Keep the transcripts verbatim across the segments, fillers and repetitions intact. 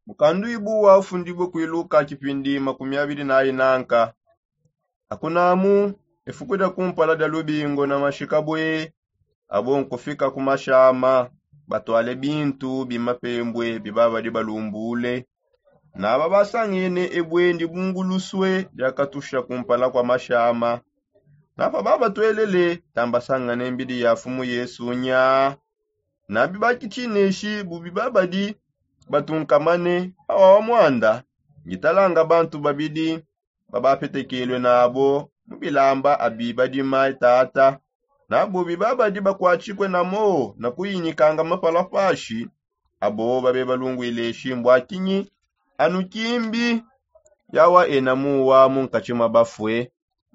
Mukanduibu wa ufundibue kuiluka kipindi makumi abidi na inanka. Akunamu, efuku dia kumpala dia lubingo na mashikabue, abo nkufika ku mashama, batwale bintu bimapembue bibabadi balumbule. Naba basangene ebue ndi bungulusue diakatusha kumpala kwa mashama. Napa babatwelele tambasangane mbidi ya fumu yesu nya. Nabi bakitineshi bubi babadi batunkamane awa wa mwanda, ngitalanga bantu babidi babapetekelwe nabo mu bilamba abi badima tata. Nabo bibabadi bakwatikwe namo na kuyinyikanga mapalapashi, abo babe balungwile shimbwa kinyi? Anu kimbi yawa ena muwa mu nkatshi mwa bafue.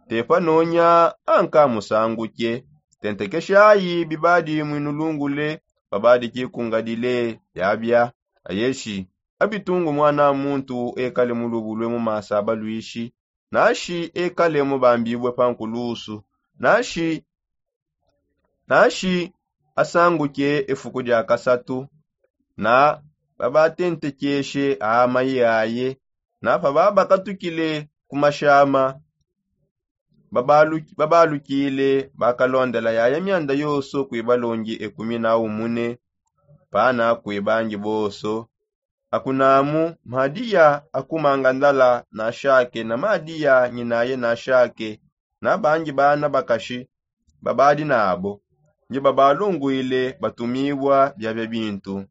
Tepa nonya anka musanguke. Tentekeshayi bibadi mwinulungule babadi kikungadile. Yabia ayeshi abitungu mwana muntu ekale mulubulwe mu masa balwishi, nashi ekale mubambibwe pa nkulusu, nashi nashi asanguke efuku dia kasatu. Na babatentekeshe amayi aye. Napa babakatukile ku mashama, babalukile bakalondela yaya myanda yoso kwibalongi ekumi na umune. Pana kwibangi boso. Akunamu madiya akumanga ndala nashake na madiya nyinaye nashake, na bangi bana bakashi babadi nabo nge babalungwile batumibwa biabia bintu.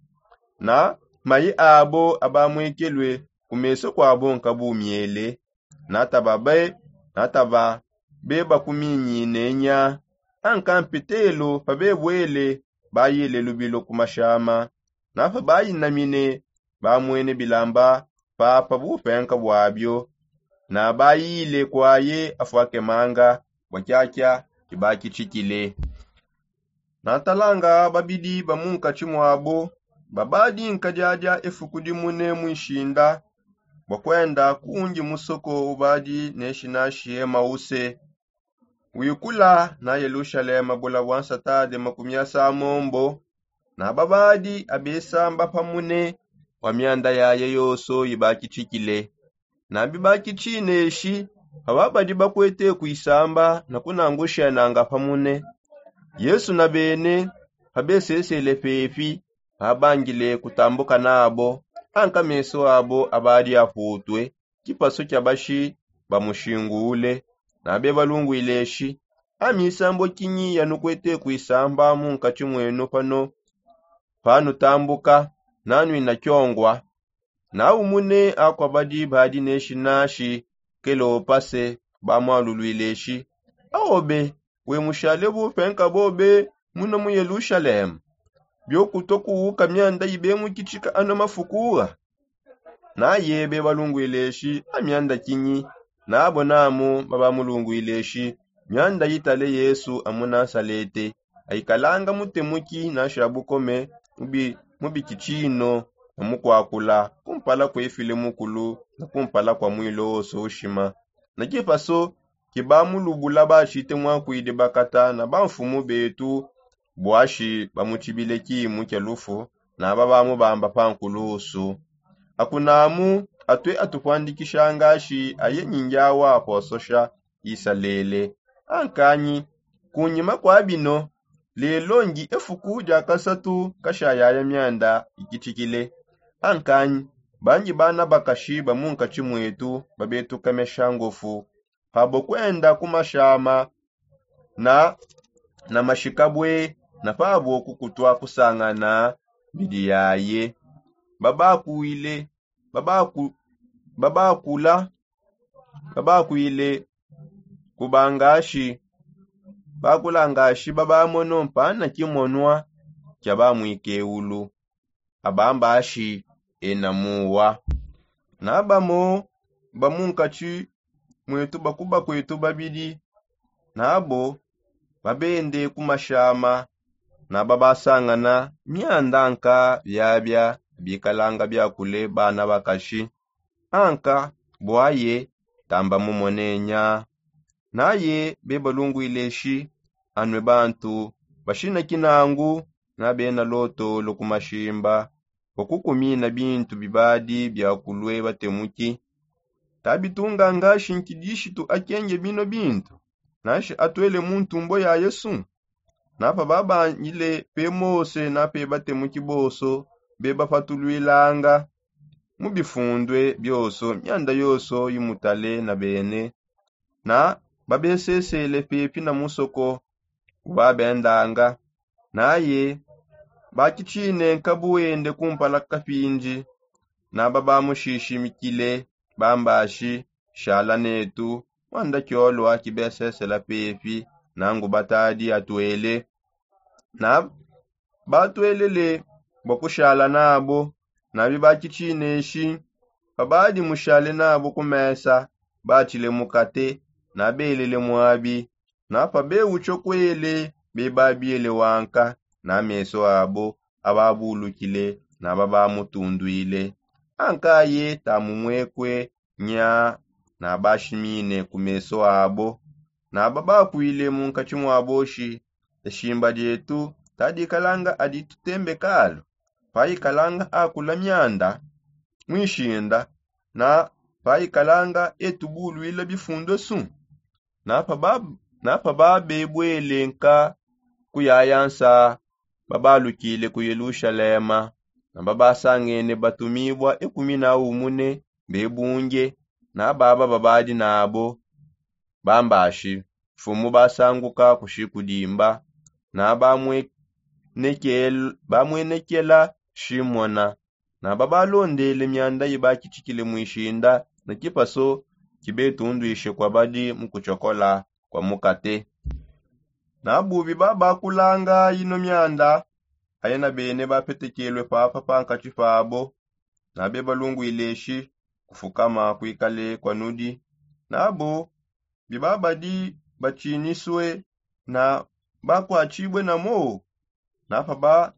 Na mayi abo abamwekelwe ku meso kwabo nkabu myele. Nataba be nataba be bakuminyine nya. Anka mpetelo pabebwele bayile lubilo ku mashama. Napa bayinamine bamwene bilamba papa bupenka bwabio. Na bayile kwaye afwake manga bwa kyakya kibakitshikile. Natalanga babidi ba mu nkatshi mwabo babadi nkadiadia efuku dimune mu nshinda bwa kwenda kundi musoko ubadi neshi nashi emause. Wikula na yelushalema bula bwa nsatade makumi asamombo. Na babadi abesamba pamune bwa myanda yaye yoso ibakitshikile. Na bibakitshineshi pababadi bakwete kuisamba na kunangushenanga pamune. Yesu na bene pabesesele pepi babangile kutambuka nabo. Anka meso abo abadi aputwe kipasu kia bashi bamushingule. Na bebalungwile shi amisambo kinyi yanukwete kuisamba mu nkatshi mwenu pano? Panutambuka nanwina kyongwa. Na umune akwabadi badi neshi nashi kelopase bamwalulwile shi aobe we mushale bupenka bobe muno mu yelushalema? Biokuto kuwuka myanda ibemukitshika ano mafukuwa? Naye bebalungwile shi amyanda kinyi? Nabo namu babamulungwile shi myanda yitale yesu amu nasalete. Aikalanga mutemuki nasha bukome mu bikitshino na mukwakula kumpala kwefile mukulu na kumpala kwa mwilo woso ushima. Na kipaso kibamulubula bashite mwakwidi bakata na bamfumu betu bwashi bamutshibile kimu kia lufu. Naba bamubamba pa nkulusu. Akunamu atue atupwandikisha ngashi aye nyingi awa apososha isalele. Ankanyi kunyima kwa bino lelo ndi efuku dia kasatu kashayaya myanda ikitshikile. Ankanyi bangi bana bakashi ba mu nkatshi mwetu babetukamesha ngofu pabo kwenda ku mashama na na mashikabwe na pabo kukutwa kusangana mbidi yaye. Babakwile babaku babakula babakwile kubangashi bakulangashi babamono mpana kimonwa kia bamwikeulu abambashi ena muwa. Na bamo ba mu nkatshi mwetu bakuba kwetu babidi nabo babende ku mashama na babasangana myanda nka biabia bikalanga biakule bana bakashi. Anka bwaye tamba mumone nya. Naye bebalungwile shi anwe bantu bashina kinangu na bena lotolo ku mashimba bua kukumina bintu bibadi biakulue batemuki. Tabitunga ngashi nkidishitu akenge bino bintu, nashi atuele mu ntumbo ya yesu. Napa babangile pe mose nape batemuki bonso bebapatuluilanga mu bifundue bionso mianda yonso imutale na bene, na babesesele pepi na musoko ubabendanga. Naye bakitshine nkabu wende kumpala kapindi, na babamushishimikile bambashi shala netu, muanda kiolua kibesesela pepi nangu batadi atuele. Na batuelele bua kushala nabo. Na bibakitshineshi pabadi mushale nabo ku mesa, batshile mukate na belele muabi. Na pabeutsho kuele bebabiele wanka, na meso abo ababulukile na babamutunduile. Ankaye tamumwekue nya na bashimine ku meso abo. Na babakuile munkatshi muabo shi, eshimba dietu tadikalanga adi tutembe kalu, payikalanga akula mianda muishinda, na payikalanga etubuluila bifundu esu. Na paba- na pababebuele nka kuyaya nsa, babalukile ku yelushalema. Na babasangene batumibua ekumi na umune bebunge, na baba babadi nabo bambashi mfumu basanguka kushikudimba, na bamwenekela shimona. Na babalondele mianda ibakitshikile muishinda, na kipaso kibetunduishe kuabadi mu kutshokola kua mukate. Na bubi babakulanga ino mianda, aye na bene bapetekelue papa pankatshi pabo. Na bebalunguile eshi, kufukama kuikale kua nudi. Nabo bibabadi batshinisue na bakuatshibue na moo. Na paba-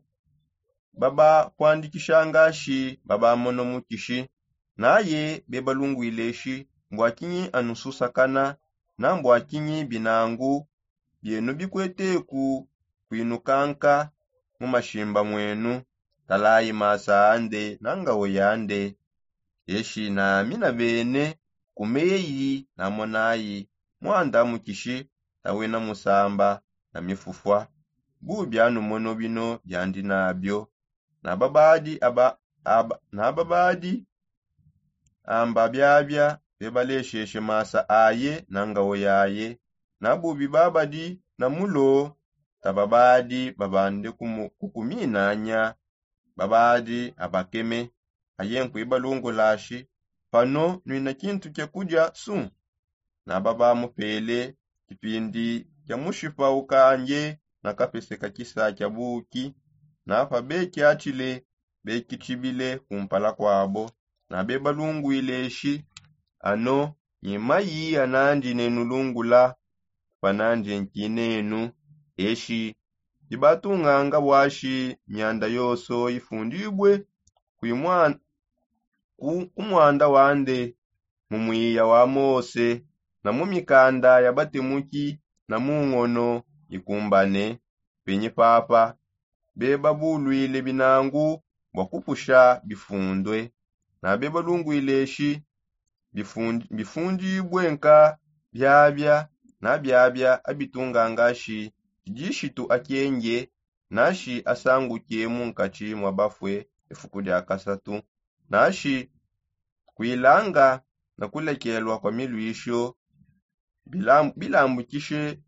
babakuandikishanga shi babamona mukishi. Naye bebalunguile shi, mbua kinyi anu susakana? Na mbua kinyi binangu bienu bikueteku kuinukanka mu mashimba muenu? Talayi masa ande na ngawo yande. Eshi nami na bene kumeyi namonayi muanda mukishi, tawena musamba na mifufua. Bubi anu mono bino biandi nabio. Na babadi aba- aba- na babadi amba biabia bebalesheshe masa aye na ngawo yaye. Na bubi babadi na mulo, tababadi babande kumu- kukuminanya. Babadi abakeme, aye nkuibalungulashi, pano nuina kintu kia kudia su? Na babamupele kipindi kia mushipa ukange na kapese ka kisa kia buki. Na pabekiatshile, bekitshibile kumpala kuabo. Na bebalunguile shi, ano nyi mayi anandi nenulungula, panandi nkinenu. Eshi dibatunganga buashi mianda yonso ifundibue ku muanda wande, mu muiya wa mose, na mu mikanda ya batemuki, na mu ngono ikumbane. Penyi papa bebabuluile binangu bua kupusha bifundue. Na bebalunguile shi, bifundibue nka biabia na biabia abitunganga shi, tshishitu akenge nashi asanguke munkatshi mua bafue ifuku dia kasatu, nashi kuilanga na kulekelua kua miluisho bilambukishe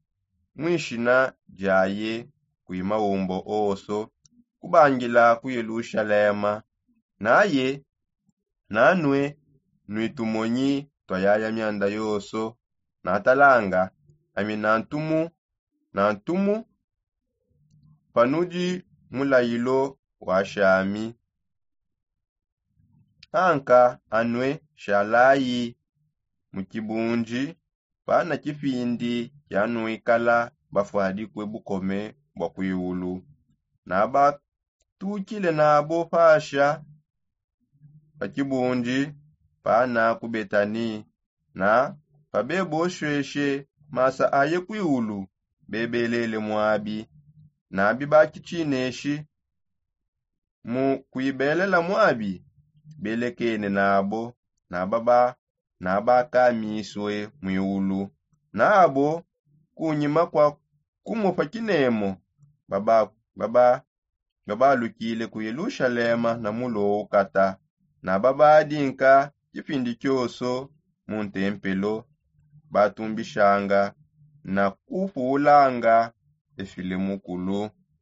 muishina diaye kui maumbo onso, kubangila ku yelushalema. Naye nanue nui tumonyi tua yaya mianda yonso. Natalanga ami nantumu nantumu panudi mulayilo wa shami. Anka anue shalayi mu kibundi pana kipindi kianuikala bafuadikue bukome bua kuiulu. Nabatukile nabo pasha pa kibundi pana ku betani. Na pabebosheshe masa aye kuiulu, bebelele muabi. Na bibakitshineshi mu kuibelela muabi, belekene nabo nababa nabakamisue muiulu. Nabo kunyima kua kumupa kinemo, baba baba babalukile ku yelushalema na mulo ukata, na babadinka kipindi kioso mu ntempelo, batumbishanga na kupulanga efile mukulu.